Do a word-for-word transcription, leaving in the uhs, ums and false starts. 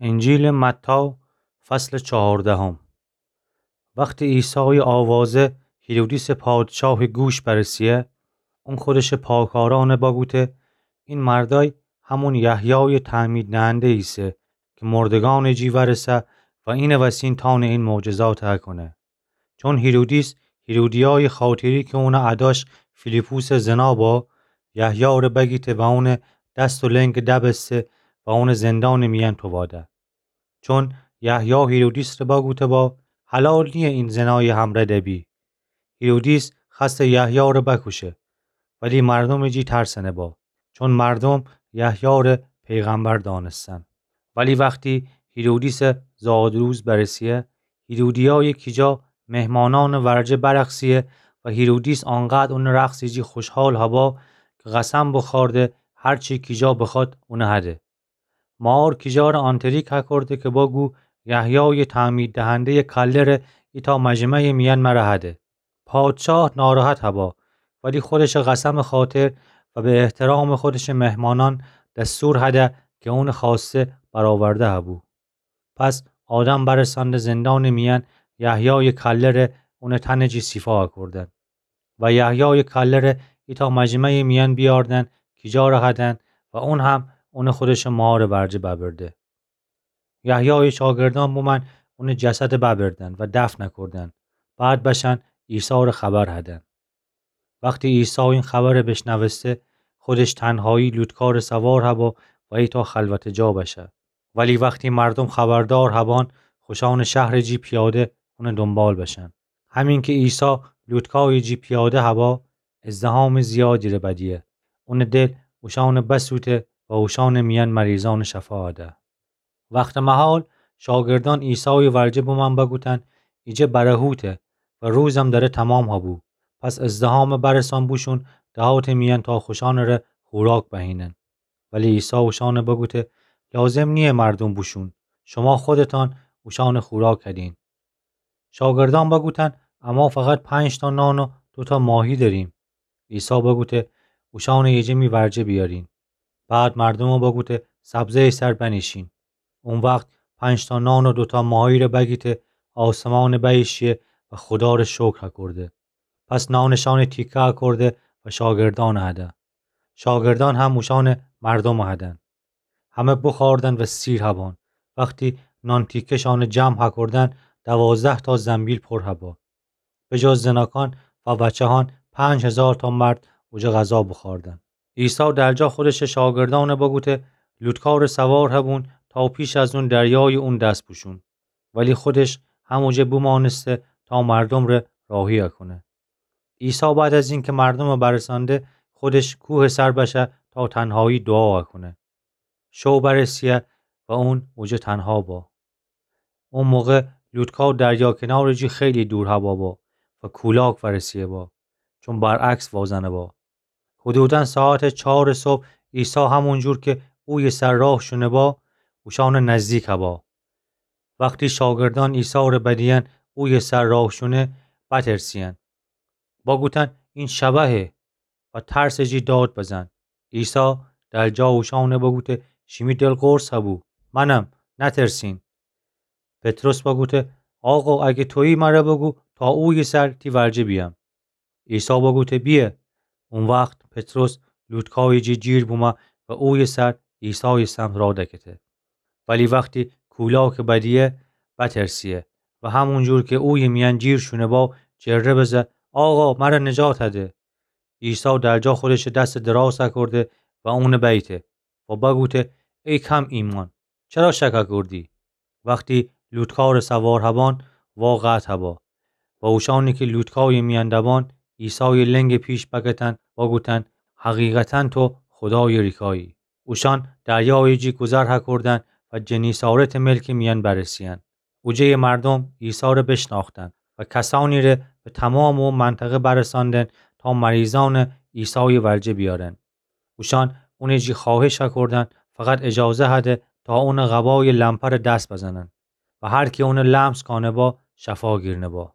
انجیلٚ متی، فصلٚ چهاردهم. وختی عیسایٚ آوازه هیرودیسٚ پادشاهٚ گوش برسیه، اون خودشٚ پاکارأنه بگوته: این مردأی همون یحیایٚ تعمیددهنده ایسه کی مردگأنٚ جی وأرسه و اینٚ وسین تأنه این معجزاته کونه. چون هیرودیس هیرودیایٚ خاطری کی اونٚ اداش فیلیپوسٚ زنا با، یحیاره بگیته و اونٚ دس و لنگ دبسته و اونٚ زندانٚ میأن توباده. چون یحیی هیرودیسٚ ره بگوته با: حلال نییه این زنایٚ همرأ دبی. هیرودیس خوأسته یحیاره بکوشه، ولی مردومٚ جی ترسنه با، چون مردوم یحیاره پیغمبر دأنستن. ولی وختی هیرودیسٚ زادروز برسیه، هیرودیایٚ کیجا مهمانأنٚ ورجه برقصیه و هیرودیس آنقدر اونٚ رقصٚ جی خوشحال هبا کی قسم بوخورده هر چی کیجا بخوأد اونه هده. مار کیجاره آنتریک هکورده کی بگو یحیایٚ تعمیددهندهیٚ کلهره ایتأ مجمعیٚ میأن مره هده. پادشاه ناراحت هبا، ولی خودشٚ قسمٚ خاطر و به احترامٚ خودشٚ مهمانأن دستور هده کی اونٚ خوأسته برآورده هبو. پس آدم برسأنده زندانٚ میأن یحیایٚ کلهره اونٚ تنٚ جی سیفا هکوردن و یحیایٚ کلهره ایتأ مجمعیٚ میأن بیأردن کیجاره هدن و اون هم اونه خودشٚ مارٚ ورجه ببرده. یحیایٚ شاگردأن بومأن اونٚ جسده ببردن و دفن هکوردن. بعد بشأن عیساره خبر هدن. وختی عیسی این خبره بشنوسته، خودش تنهایی لوطکارٚ سوار هبا و ایتأ خلوتٚ جا بشه. ولی وختی مردوم خبردار هبأن، خوشأنٚ شهرٚ جی پیاده اونٚ دونبال بشأن. همین کی عیسی لوطکایٚ جی پیاده هبا، ازدحامٚ زیادی ره بدیه. اونٚ دل اوشأنه بسوته و اوشأنٚ میأن مریضأنٚ شفا هده. وختٚ مهال شاگردأن عیسایٚ ورجه بومأن بگوتن: ایجه برهوته و روزم دره تومام هبو. پس ازدحامه برسأن بوشون دهاتٚ میأن تا خوشأنٚ ره خوراک بهینن. ولی عیسی اوشأنه بگوته: لازم نییه مردوم بوشون، شوما خودتأن اوشأنٚ خوراک هدین. شاگردأن بگوتن: اما فقط پنج‌تا نان و دوتا ماهی دأریم. عیسی بگوته: اوشأنه ایجه می ورجه بیأرین. بعد مردومه بگوته: سبزهیٚ سر بنیشین. او وخت پنج‌تا نان و دوتا ماهیره بگیته، آسمانه بیشیه و خودا ره شکر هکورده. پس نانٚ شأنه تیکه هکورده و شاگردأنه هده. شاگردأن هم اوشأنه مردومه هدن. همه بوخوردن و سیر هبأن. وختی نان تیکه‌شأنه جمع هکوردن، دوازده‌تا زنبیل پر هبا. به جز زناکأن و بچه‌هأن، پنج هیزارتا مرد اوجه غذا بوخوردن. عیسی درجا خودشٚ شاگردأنه بگوته: لوطکارٚ سوار هبون تا پیش از اون دریایٚ اون دس بوشون. ولی خودش هموجه بومأنسته تا مردوم ره راهی هکونه. عیسی بعد از اینکه مردومه برسأنده، خودش کوهٚ سر بشه تا تنهایی دوعا هکونه. شو برسیه و اون اوجه تنها با. او موقع لوطکا دریا کنارٚ جی خیلی دور هبا با و کولاک ورسیه با، چون برعکس وازنه با. حدوداً ساعتٚ چارٚ صبح عیسی همون جور که اویه سر راه شونه با، اوشأنٚ نزدیک هبا. وختی شاگردأن عیسی ره بدیئن اویه سر راه شونه، بترسیئن. بگوتن: این شبحه و ترسٚ جی داد بزن. عیسی در جا اوشأنه بگوته: شیمی دل قرص هبو، منم، نترسین. پطرس بگوته: آقا، اگه تویی مره بگو تا اویه سر تی ورجه بیأم. عیسی بگوته: بیه. او وخت پطرس لوطکایٚ جی جیر بومه و اویه سر عیسایٚ سمت راه دکته. ولی وختی کولاکٚ بدیه، بترسیه و همون جور که اویه میأن جیر شونه با، جره بزه: آقا، مره نجات هده. عیسی در جا خودشٚ دسٚ دراز هکرده و اونه بیته و بگوته: ای کم ایمأن، چرا شک هکردی؟ وختی لوطکارٚ سوار هبأن، وا قطع هبا و اوشأنی که لوطکایٚ میأن دبأن، عیسایٚ لنگٚ پیش بکتن، بگوتن: حقیقتاً تو خودایٚ ریکایی. اوشأن دریایٚ جی گذر هکردن و جنیسارتٚ ملکٚ میأن برسیئن. اوجه‌یٚ مردوم عیسی ره بشناختن و کسأنی ره به تومامٚ او منطقه برسأندن تا مریضأنٚ عیسایٚ ورجه بیأرن. اوشأن اونٚ جی خوأهش هکردن فقط اجازه هده تا اونٚ قبایٚ لمپره دس بزنن و هر کی اونه لمس کانه با، شفا گیرنه با.